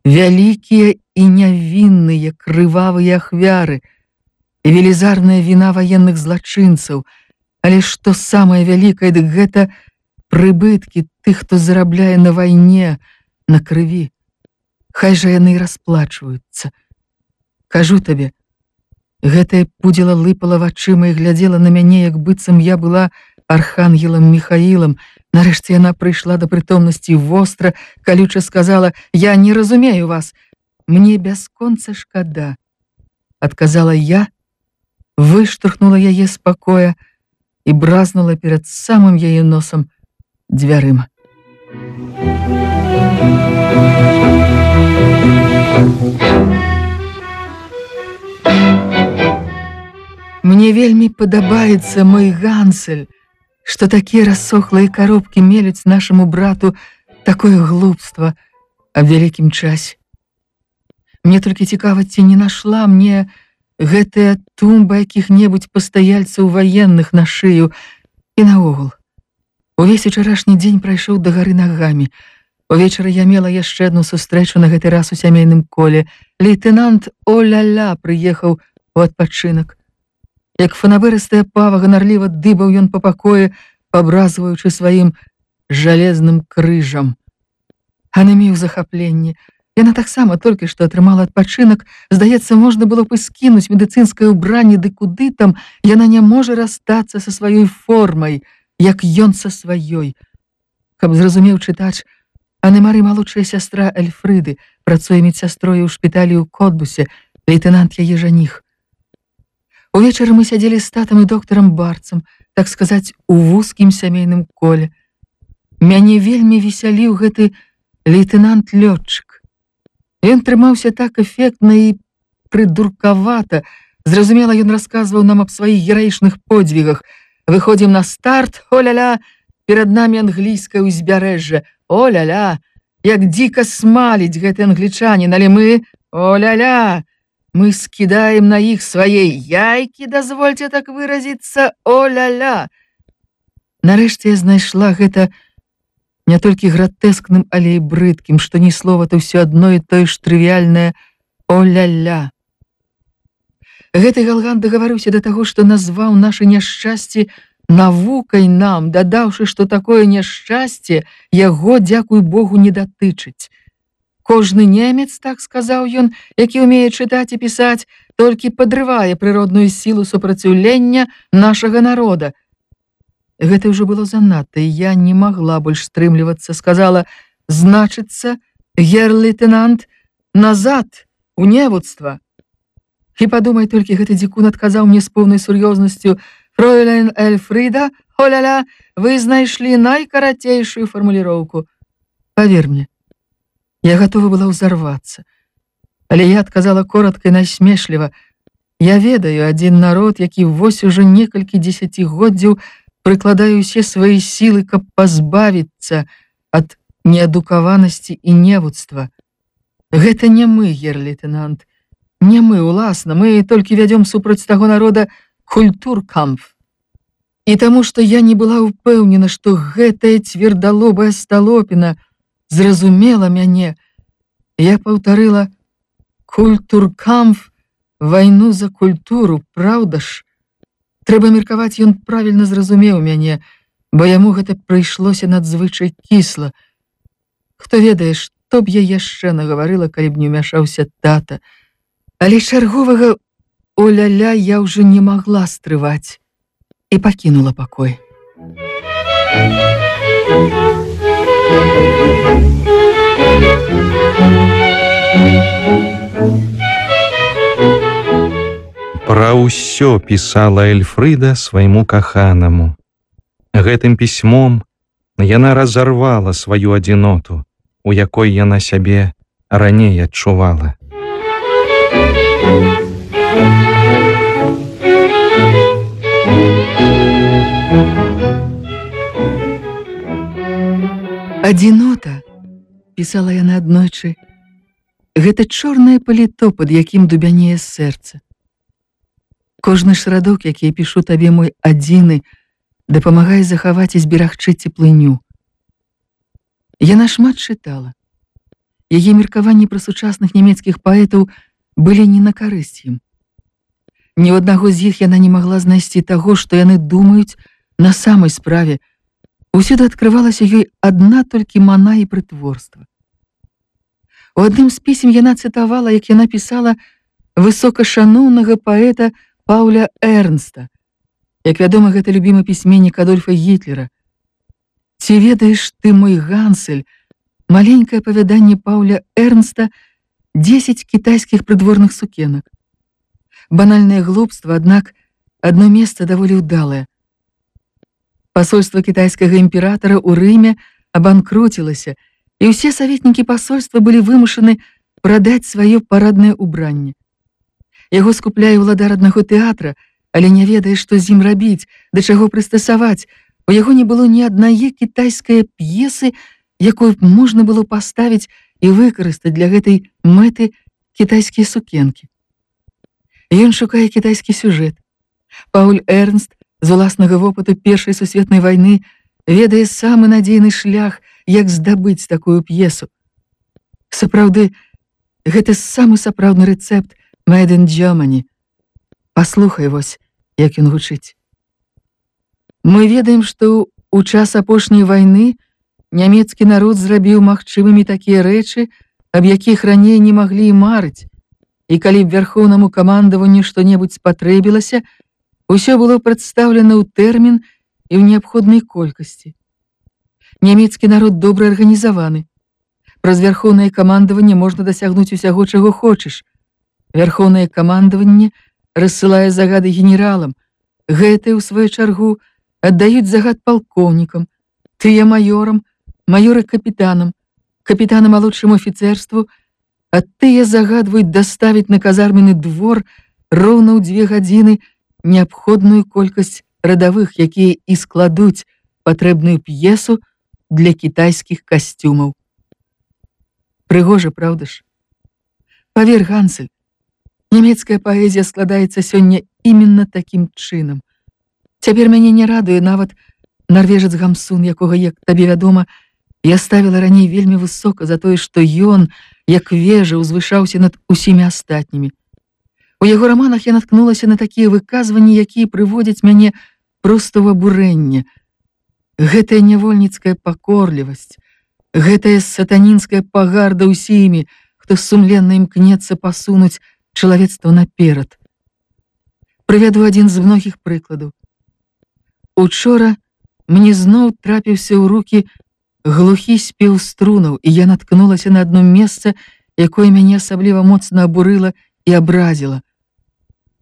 Вялікія і нявінныя крывавыя ахвяры, велізарная віна ваенных злачынцаў, але што самае вялікае, дык гэта прыбыткі тых, хто зарабляе на вайне, на крыві. Хай жа яны і расплачваюцца. Кажу табе, гэтая пудзіла лыпала вачыма і глядзела на мяне, як быццам я была архангелам Міхаілам. Нарэшце яна прыйшла да прытомнасці востра, калюча сказала: «Я не разумею вас, мне бясконца шкада», — адказала я, выштурхнула яе з пакоя і бразнула перад самым яе носам дзвярыма. Мне вельмі падабаецца мой Гансель, што такія рассохлыя коробкі мелюць нашаму брату такое глупства аб вялікім часе. Мне толькі цікава, ці не нашла мне гэтая тумба якіх-небудзь пастаяльцаў ваенных на шыю. І наогул, увесь учарашні дзень прайшоў да гары нагамі. Увечары я мела яшчэ адну сустрэчу, на гэты раз у сямейным коле. Лейтенант О-ля-ля прыехаў у адпачынак. Як фанабырыстая пава ганарліва дыбаў ён па пакоі, пабразваючы сваім жалезным крыжам. Анемію захапленне. Яна таксама толькі што атрымала адпачынак. Здаецца, можна было б і скінуць медыцынскае ўбранне, ды куды там, яна не можа расстацца са сваёй формай, як ён са сваёй. Каб зразумеў чытач, Анемары малодшая сястра Эльфрыды, працуе медсястрою ў шпіталі ў Котбусе, лейтенант яе жаніх. Увечары мы сядзелі з татам і доктарам Барцам, так сказаць, у вузкім сямейным коле. Мяне вельмі весяліў гэты лейтенант-лётчык. Ён трымаўся так эфектна і прыдуркавата. Зразумела, ён расказваў нам аб сваіх гераічных подзвігах. Выходзім на старт, о-ля-ля, перад намі англійскае ўзбярэжжа. О-ля-ля, як дзіка смаліць гэты англічанін, але мы, о-ля-ля, мы скідаем на іх свае яйкі, дазвольце так выразіцца, о-ля-ля. Нарэшце я знайшла гэта не толькі гратэскным, але і брыдкім, што ні слова-то ўсё адно і тое ж трывіяльнае о-ля-ля. Гэты галган дагаварыўся да таго, што назваў нашы няшчасці навукай нам, дадаўшы, што такое няшчасце яго, дзякуй Богу, не датычыць. Кожны немец, так сказаў ён, які ўмее чытаць і пісаць, толькі падрывае прыродную сілу супраціўлення нашага народа. Гэта ўжо было занадта, і я не магла больш стрымлівацца. Сказала: «Значыцца, гер-лейтенант, назад, у невуцтва». І падумай толькі, гэты дзікун адказаў мне з поўнай сур'ёзнасцю: «Фройлен Эльфрыда, о-ля-ля, вы знайшлі найкарацейшую фармуліроўку». Павер мне, я готова была ўзарвацца. Але я адказала коротка і насмешліва: «Я ведаю адзін народ, які вось ужо некалькі дзесяцігоддзяў прыкладае ўсе свае сілы, каб пазбавіцца ад неадукаванасці і невуцтва. Гэта не мы, гер-лейтенант, не мы, уласна, мы толькі вядзём супраць таго народа культуркамф. І таму, што я не была ўпэўнена, што гэтая цвердалобая сталопіна зразумела мяне, я паўтарыла: «Культуркамф, вайну за культуру, праўда ж?» Трэба меркаваць, ён правільна зразумеў мяне, бо яму гэта прыйшлося надзвычай кісла. Хто ведае, што б я яшчэ нагаварыла, калі б не ўмяшаўся тата. Але чарговага о-ля-ля я ўжо не магла стрываць і пакінула пакой. Пра ўсё пісала Эльфрыда свайму каханаму. Гэтым пісьмом яна разарвала сваю адзіноту, у якой яна сябе раней адчувала. «Адзінота», – пісала яна аднойчы, – «гэта чорнае паліто, пад якім дубянее сэрца. Кожны шрадок, які я пішу табе, мой адзіны, дапамагае захаваць і зберагчы цеплыню». Яна шмат чытала. яе меркаванні пра сучасных нямецкіх паэтаў былі не на карысць ім. Ні ў аднаго з іх яна не магла знайсці таго, што яны думаюць на самай справе. Усюды адкрывалася ёй адна толькі мана і прытворства. У адным з пісем яна цытавала, як яна пісала высокашаноўнага паэта Паўля Эрнста. Як вядома, гэта любімы пісьменнік Адольфа Гітлера. «Ці ведаеш ты, мой Гансель», маленькае апавяданне Паўля Эрнста «10 кітайскіх прыдворных сукенак». Банальнае глупства, аднак адно месца даволі ўдалае. Пасольства кітайскага імператара ў Рыме абанкруцілася, і ўсе саветнікі пасольства былі вымушаны прадаць сваё параднае ўбранне. Яго скупляе ўладар аднаго тэатра, але не ведае, што з ім рабіць, да чаго прыстасаваць. У яго не было ні аднае кітайскай п'есы, якую б можна было паставіць і выкарыстаць для гэтай мэты кітайскія сукенкі. Ён шукае кітайскі сюжэт. Пауль Эрнст з уласнага вопыту Першай сусветнай вайны ведае самы надзейны шлях, як здабыць такую п'есу. Сапраўды, гэта самы сапраўдны рэцэпт «Made in Germany». Паслухай вось, як ён гучыць. Мы ведаем, што ў час апошняй вайны нямецкі народ зрабіў магчымымі такія рэчы, аб якіх раней не маглі і марыць. І калі б вярхоўнаму камандаванню што-небудзь спатрэбілася, усё было прадстаўлена ў тэрмін і ў неабходнай колькасці. Нямецкі народ добра арганізаваны. Праз вярхоўнае камандаванне можна дасягнуць усяго, чаго хочаш. Вярхоўнае камандаванне рассылае загады генералам. Гэтыя, у сваю чаргу, аддаюць загад палкоўнікам, тыя маёрам, маёры капітанам, капітанам малодшаму афіцэрству, а тыя загадваюць даставіць на казармены двор роўна ў 2 гадзіны неабходную колькасць радавых, якія і складуць патрэбную п'есу для кітайскіх касцюмаў. Прыгожа, праўда ж? Павер, Гансель, нямецкая паэзія складаецца сёння іменна такім чынам. Цяпер мяне не радуе нават нарвежац Гамсун, якога, як табе вядома, я ставіла раней вельмі высока за тое, што ён, як вежа, узвышаўся над усімі астатнімі. У яго раманах я наткнулася на такія выказванні, якія прыводзяць мяне проста ў абурэнне. Гэтая нявольніцкая пакорлівасць, гэтая сатанінская пагарда ўсімі, хто сумленна імкнецца пасунуць чалавецтва наперад. Прывяду адзін з многіх прыкладаў. Учора мне зноў трапіўся ў рукі глухі спеў струнаў, і я наткнулася на адно месца, якое мяне асабліва моцна абурыла і абразіла.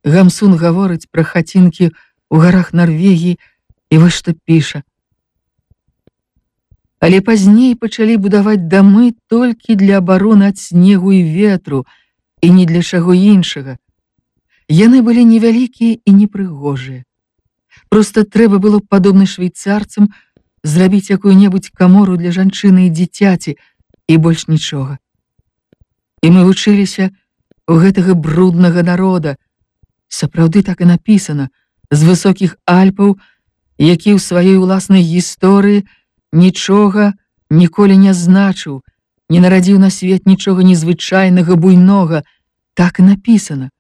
Гамсун гаворыць пра хацінкі ў гарах Нарвегіі, і вось што піша. Але пазней пачалі будаваць дамы толькі для абароны ад снегу і ветру, і ні для чаго іншага. Яны былі невялікія і непрыгожыя. Проста трэба было, падобна швейцарцам, зрабіць якую-небудзь камору для жанчыны і дзіцяці, і больш нічога. І мы вучыліся у гэтага бруднага народа. Сапраўды так і напісана, з высокіх Альпаў, які ў сваёй уласнай гісторыі нічога ніколі не значыў, не нарадзіў на свет нічога незвычайнага, буйнога. Так і напісана.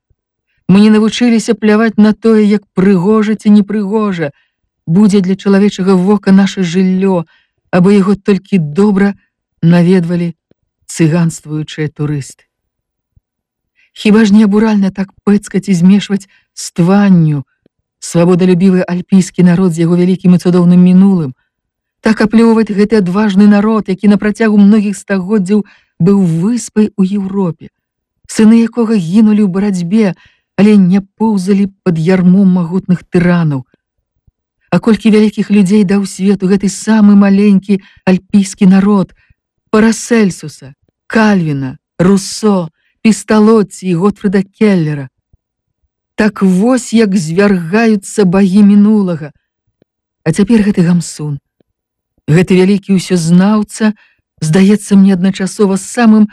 Мы не навучыліся пляваць на тое, як прыгожа ці непрыгожа будзе для чалавечага вока наша жыллё, або яго толькі добра наведвалі цыганствуючыя турысты. Хіба ж не абуральна так пэцкаць і змешваць з тванню свабодалюбівы альпійскі народ з яго вялікім і цудоўным мінулым, так аплёўваць гэты адважны народ, які на працягу многіх стагоддзяў быў выспай у Еўропе, сыны якога гінулі ў барацьбе, але не поўзалі пад ярмом магутных тыранаў. А колькі вялікіх людзей даў свету гэты самы маленькі альпійскі народ, Парасельсуса, Кальвіна, Руссо, Пісталоці і Готфрыда Келлера. Так вось як звяргаюцца багі мінулага. А цяпер гэты Гамсун, гэты вялікі ўсёзнаўца, здаецца мне адначасова самым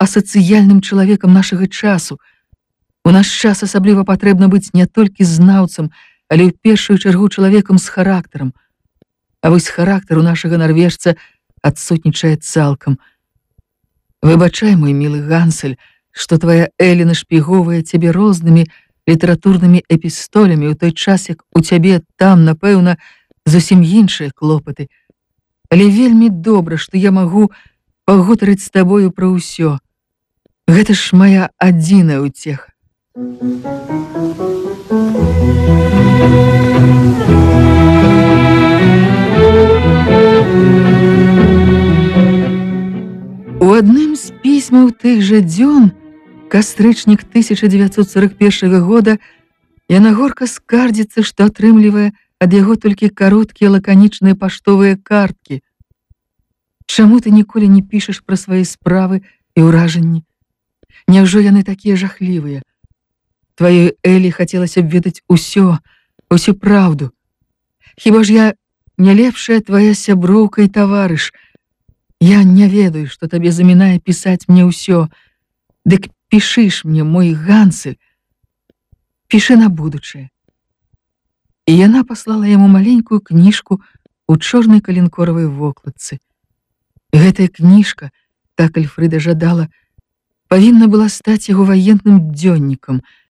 асацыяльным чалавекам нашага часу. У наш час асабліва патрэбна быць не толькі знаўцам, але ў першую чаргу чалавекам з характарам. А вось характар у нашага нарвежца адсутнічае цалкам. Выбачай, мой милый Гансель, што твая Элі нашпіговае цябе рознымі літаратурнымі эпістолями ў той час, як у цябе там, напэўна, зусім іншыя клопаты. Але вельмі добра, што я магу пагутарыць з табою пра ўсё. Гэта ж моя адзіная ўцеха. У адным з пісьмаў тых жа дзён, кастрычнік 1941 года, яна горка скардзіцца, што атрымлівае ад яго толькі кароткія лаканічныя паштовыя карткі. Чаму ты ніколі не пішаш пра свае справы і ўражанні? Няўжо яны такія жахлівыя? Тваёй Элі хацелася б ведаць усю праўду. Хіба ж я не лепшая твая сяброўка і таварыш? Я не ведаю, што табе замінае пісаць мне ўсё. Дык пішыш мне, мой Гансель. Пішы на будучае. І яна паслала яму маленькую кніжку у чорнай калінкоравай вокладцы. Гэтая кніжка, так Альфрыда жадала, павінна была стаць яго ваенным дзённікам,